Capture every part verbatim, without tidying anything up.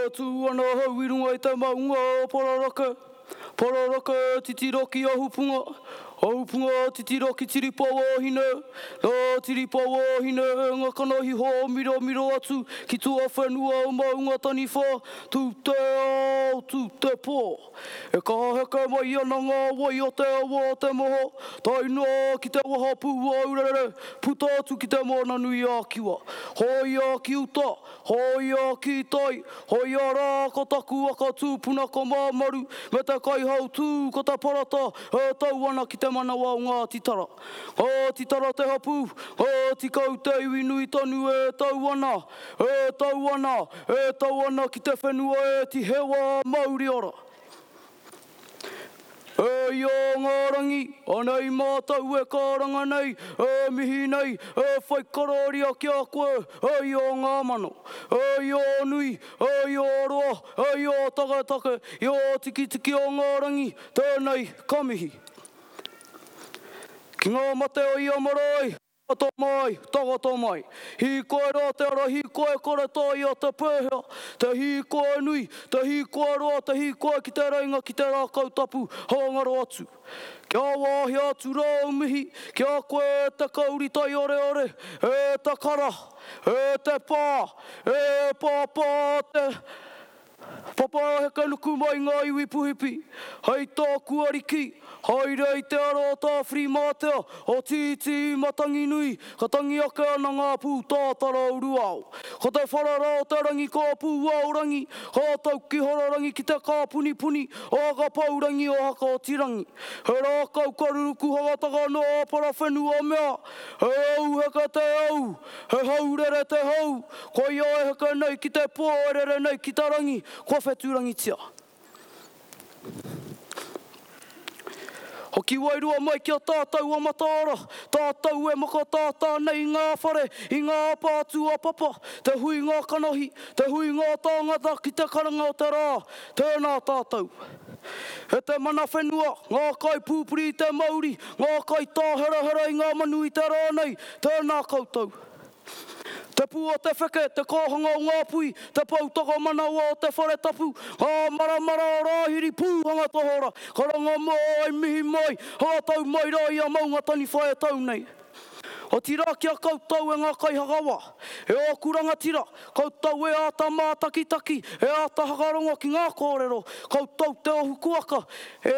E tū ana hau i runga i te maunga o Pararake, Pararake titiro ki Ahupunga, Ahupunga titiro ki Tiripawahine, nā Tiripawahine ngā kanohi hōmiromiro atu ki tuawhenua o Maunga Taniwha, tū te ao, tū te pō. E kaha heke mai ana ngā wai o te awa o te moho, tae noa ki te wahapū o Aurere, puta atu ki te Moana nui a Kiwa. Hoia ki uta, hoia ki tai, hoia rā ko taku waka tūpuna ko Māmaru, me te kaihautū ko te Parata e tau ana ki te manawa o Ngāti Tara. Ngāti Tara te hapū, Ngāti Kau te iwi nui tonu e tau ana, e tau ana, e tau ana ki te whenua e Tihewa mauri ora. E ia ngā rangi, anei mātou e karanga nei, e mihi nei, e whai kororia ki a koe, e ia ngā mano. E ia nui, e ia roa, e ia taketake, i o tikitiki o ngā rangi, tēnei ka mihi. Ki ngā mate o ia marae, Takoto mai, takoto mai. Hīkoi rā te ara hīkoi kore taea te pēhea, te hīkoi nui, te hīkoi roa, te hīkoi ki te reinga ki te rākau tapu, hangaro atu. Kia wāhia atu rā au mihi, ki a koe e te kauri taioreore, e te kara, e te pā, e pāpā te Papa heke nuku mai ngā iwi puhipi, hei tāku ariki, haere i te ara o Tāwhirimātea, o Tītī Matanginui, ka tangi ake ana ngā pūtātara o Ruao. Ko te wharara o te rangi ka pūaorangi, ka tau ki Hororangi ki te kāpunipuni, o Hakapaurangi o Hakaotirangi. He rākau karuruku hangataka noa parawhenua mea, he au heke te au, he haurere te hau, koia e heke nei ki te pō e rere nei ki te rangi, kua whetūrangitia. Hoki wairua mai ki a tātou o Mataara, tātou e makatātā nei i ngā whare, i ngā pātū a papa, te hui ngā kanohi, te hui ngā tāngata ki te karanga o te rā, tēnā tātou. E te mana whenua, ngā kai pūpuri i te mauri, ngā kai tāherahera i ngā manu i te rā nei, tēnā koutou. Te pū o te wheke, te kōhanga o ngā pui, te poutoko manawa o te whare tapu, ngā maramara o rāhiri pūhanga tohora, karanga mai, mihi mai, hātau mai rā i a Maunga Taniwha e tau nei. Otirā ki a koutou e ngā kaihakawa, e ōku rangatira, koutou e āta mātakitaki, e āta hakarongo ki ngā kōrero, koutou te ohu kuaka, e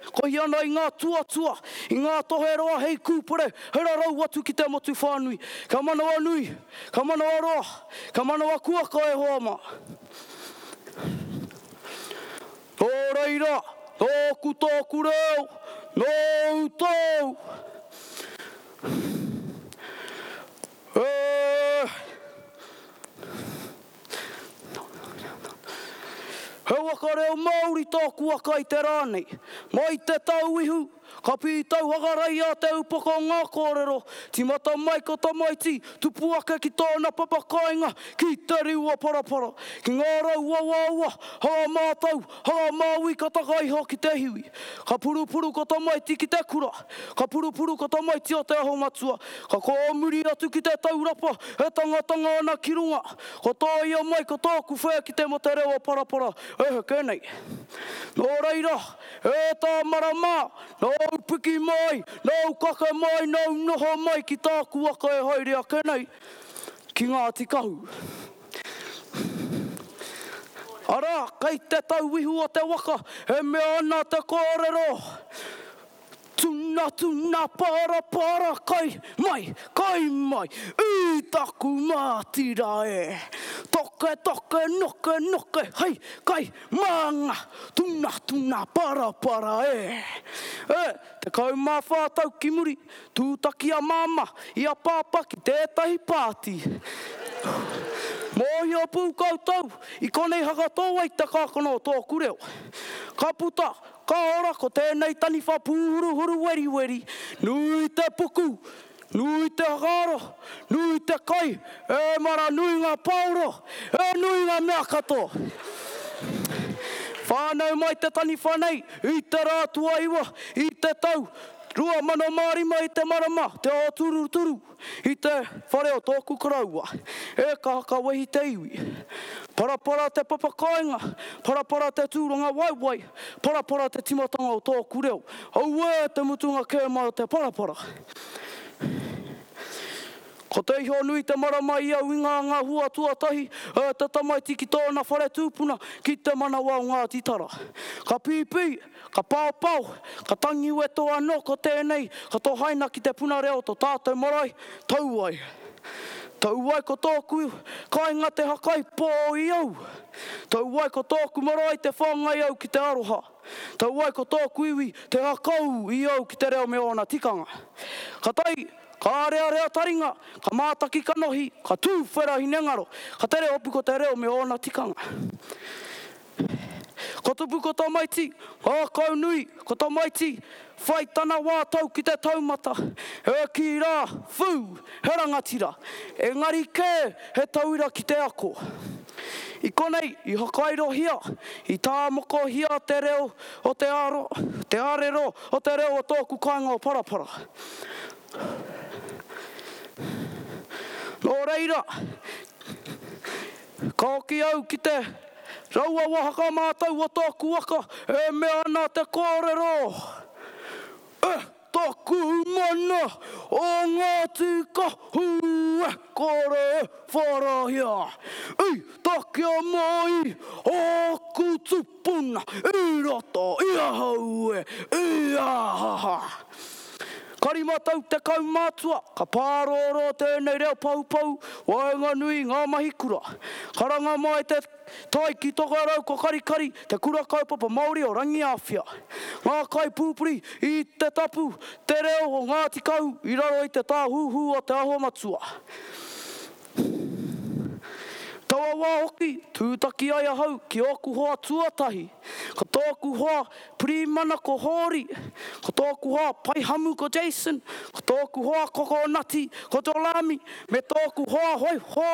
kohi ana i ngā tuatua, i ngā toheroa hei kūpere, hei rarau atu ki te motu whānui. Ka manawa nui, ka manawa roa, ka manawa kuaka e hoa mā. Nō reira, nōku tōku reo, nōu tōu. E... He waka reo Māori tōku waka i te rā nei. Mai te tauihu, ka pītau hangarei a te upoko o ngā kōrero, tīmata mai ko tamaiti, tupu ake ki tōna papakāinga, ki te riu o Parapara, ki ngā rau awaawa, hanga mātau, hanga māui ka taka iho ki te hiwi. Ka purupuru ko tamaiti ki te kura, ka purupuru ko tamaiti o te aho matua, ka kōmuri atu ki te taurapa, e tangatanga ana ki runga. Ko tōia mai ko tōku whea ki te mate reo o Parapara, e heke nei. Nō reira, e tā marama, nō piki mai, nō kake mai, nō noho mai ki tāku waka e haere ake nei, ki Ngāti Kahu. Arā, kei te tauihu o te waka, e mea ana te kōrero. Tuna, tuna, para, para, kai mai, kai mai, i taku mātira e. Toke, toke, noke, noke, hei, kai, manga, tuna, tuna, para, para e. E, te kau mā whātau ki muri, tūtaki a māma, i a pāpā ki tētahi pāti. Mōhio pū koutou, i konei hakatō ai te kākano o tōku reo. Ka puta, ka ora ko tēnei taniwha pūhuruhuru weriweri, nui te puku, nui te hakaaro, nui te kai, e mara nui ngā paoro, e nui ngā mea katoa. Whānau mai te taniwha nei, i te rā tuaiwa, i te tau, rua mano mārima i te marama, te ao turuturu, i te whare o tōku koroua. E ka hakawehi te iwi. Parapara te papakāinga, parapara te tūranga waewae, parapara te timatanga o tōku reo. Auē te mutunga kē mai o te parapara. Ko te iho nui te marama i au i ngā ngā hua tuatahi e te tamaiti ki tōna whare tūpuna ki te manawa o Ngāti Tara. Ka pīpī, ka paopao, ka tangi weto anō ko tēnei, ka tohaina ki te puna reo to tātou marae, tau ai. Tau ai ko tōku kāinga te hakai pō i au. Tau ai ko tōku marae te whāngai au ki te aroha. Tau ai ko tōku iwi te hakau i au ki te reo me ōna tikanga. Ka tai, ka arearea taringa, ka mātaki kanohi, ka tūwhera hinengaro, ka tere hopu ko te reo me ōna tikanga. Ko tupu ko tamaiti, ngākau nui, ko tamaiti, whai tana wā tau ki te taumata. E ki rā, whū, he rangatira. Engari kē, he tauira ki te ako. I konei, i hakairohia, i tāmokohia te reo o te aro, te arero o te reo o tōku kāinga o Parapara. Nō reira, ka hoki au ki te raua wahaka mātau o tōku waka e mea ana te kōrero. E tōku mana o Ngāti Kahu e kore e wharahia. I takia mai ōku tupuna i roto i ahau e, i ahaha. Ka rima tau te kaumātua, ka pārōrō tēnei reo paupau, waenganui ngā mahi kura. Karanga mai te tai ki Tokerau ko Karikari, te kura kaupapa Māori o Rangiāwhia. Ngā kaipūpuri i te tapu, te reo o Ngāti Kahu i raro i te tāhuhu o Te Aho Matua. Taua wā hoki, tūtaki ai ahau ki ōku hoa tuatahi. Ko tōku hoa Pirimana ko Hōri, ko tōku hoa Paihamu ko Jason, ko tōku hoa Kokonati ko Jolami, me tōku hoa hoiho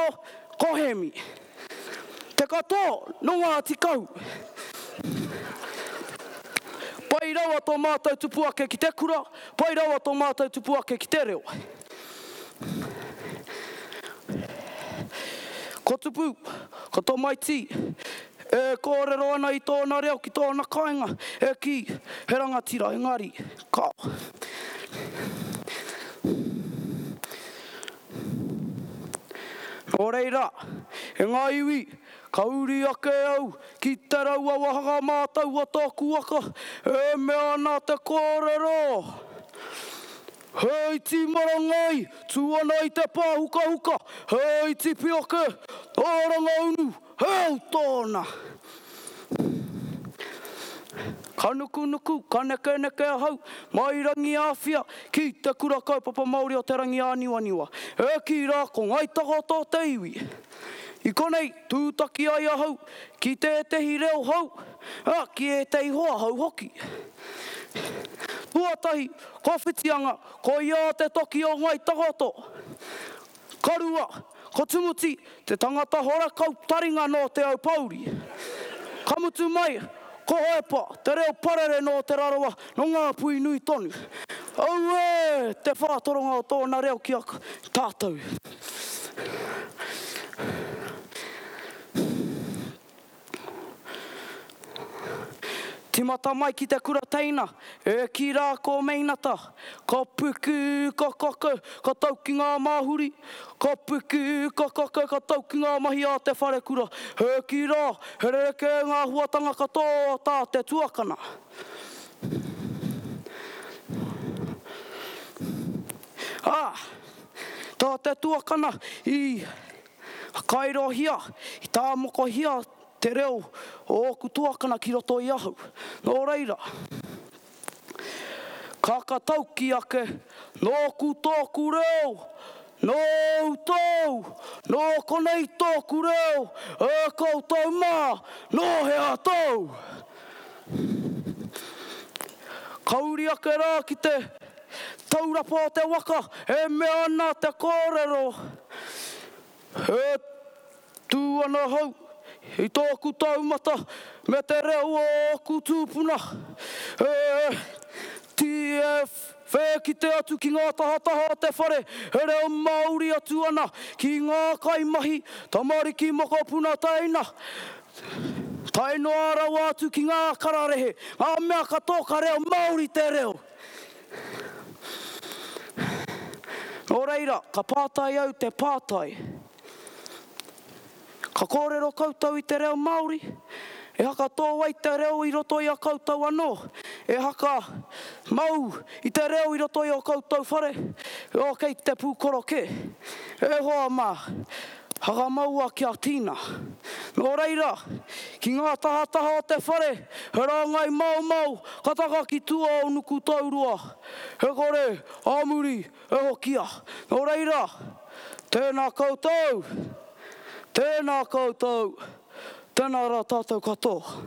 ko Hemi. Te katoa nō Ngāti Kahu. Pai rawa tō mātou tupu ake ki te kura, pai rawa tō mātou tupu ake ki te reo. Ko tupu, ko tamaiti, e kōrero ana i tōna reo ki tōna kāinga, e ki he rangatira engari, kao. Nō reira, e ngā iwi, ka uri ake au ki te raua wahanga mātau o tōku waka, e mea ana te kōrero. He iti marangai, tū ana i te pāhukahuka, he iti pioke, ōranga unu, he au tōna. Ka nukunuku, ka nekeneke ahau, mai Rangiāwhia ki te kura kaupapa Māori o Te Rangiāniwaniwa. E ki rā ko Ngai Takoto te iwi. I konei, tūtaki ai ahau ki tētehi reo hou, a, ki ētehi hoa hou hoki. Tuatahi, ko Whitianga, ko ia te toki o Ngai Takoto. Ka rua, ko Tumuti, te tangata horakau taringa nō Te Aupouri. Ka mutu mai, ko Hoepa, te reo parere nō Te Rarawa, nō ngā pui nui tonu. Auē, te whātoronga o tōna reo ki a tātou. Timata mai ki te kura teina, e ki rā ko Meinata, ka piki, ka kake, ka tau ki ngā māhuri, ka piki, ka kake, ka tau ki ngā mahi a te wharekura, e ki rā, he rerekē ngā huatanga katoa tā te tuakana. Ā, tā te tuakana i kairohia, i tāmokohia te reo o ōku tuakana ki roto i ahau. Nō reira, ka katauki ake, nōku tōku reo, nōu tōu, nō konei tōku reo, e koutou mā, nō hea tōu. Ka uri ake rā ki te taurapa o te waka, e mea ana te kōrero. E tū ana hau, i tōku taumata, me te reo o ōku tūpuna. E, tī e whēkite atu ki ngā tahataha o te whare, he reo Māori atu ana ki ngā kaimahi, tamariki mokopuna teina, tae noa rawa atu ki ngā kararehe, ngā mea katoa ka reo Māori te reo. Nō reira, ka pātai au te pātai. Ka kōrero koutou i te reo Māori? E haka tō ai te reo i roto i a koutou anō? E haka mau i te reo i roto i o koutou whare? O kei te pūkoro kē. E hoa mā, hakamaua kia tīna. Nō reira, ki ngā tahataha o te whare, he rāngai maomao ka taka ki tua o Nukutaurua. He kore ā muri e hokia. Nō reira, tēnā koutou, tēnā koutou, tēnā rā tātou katoa.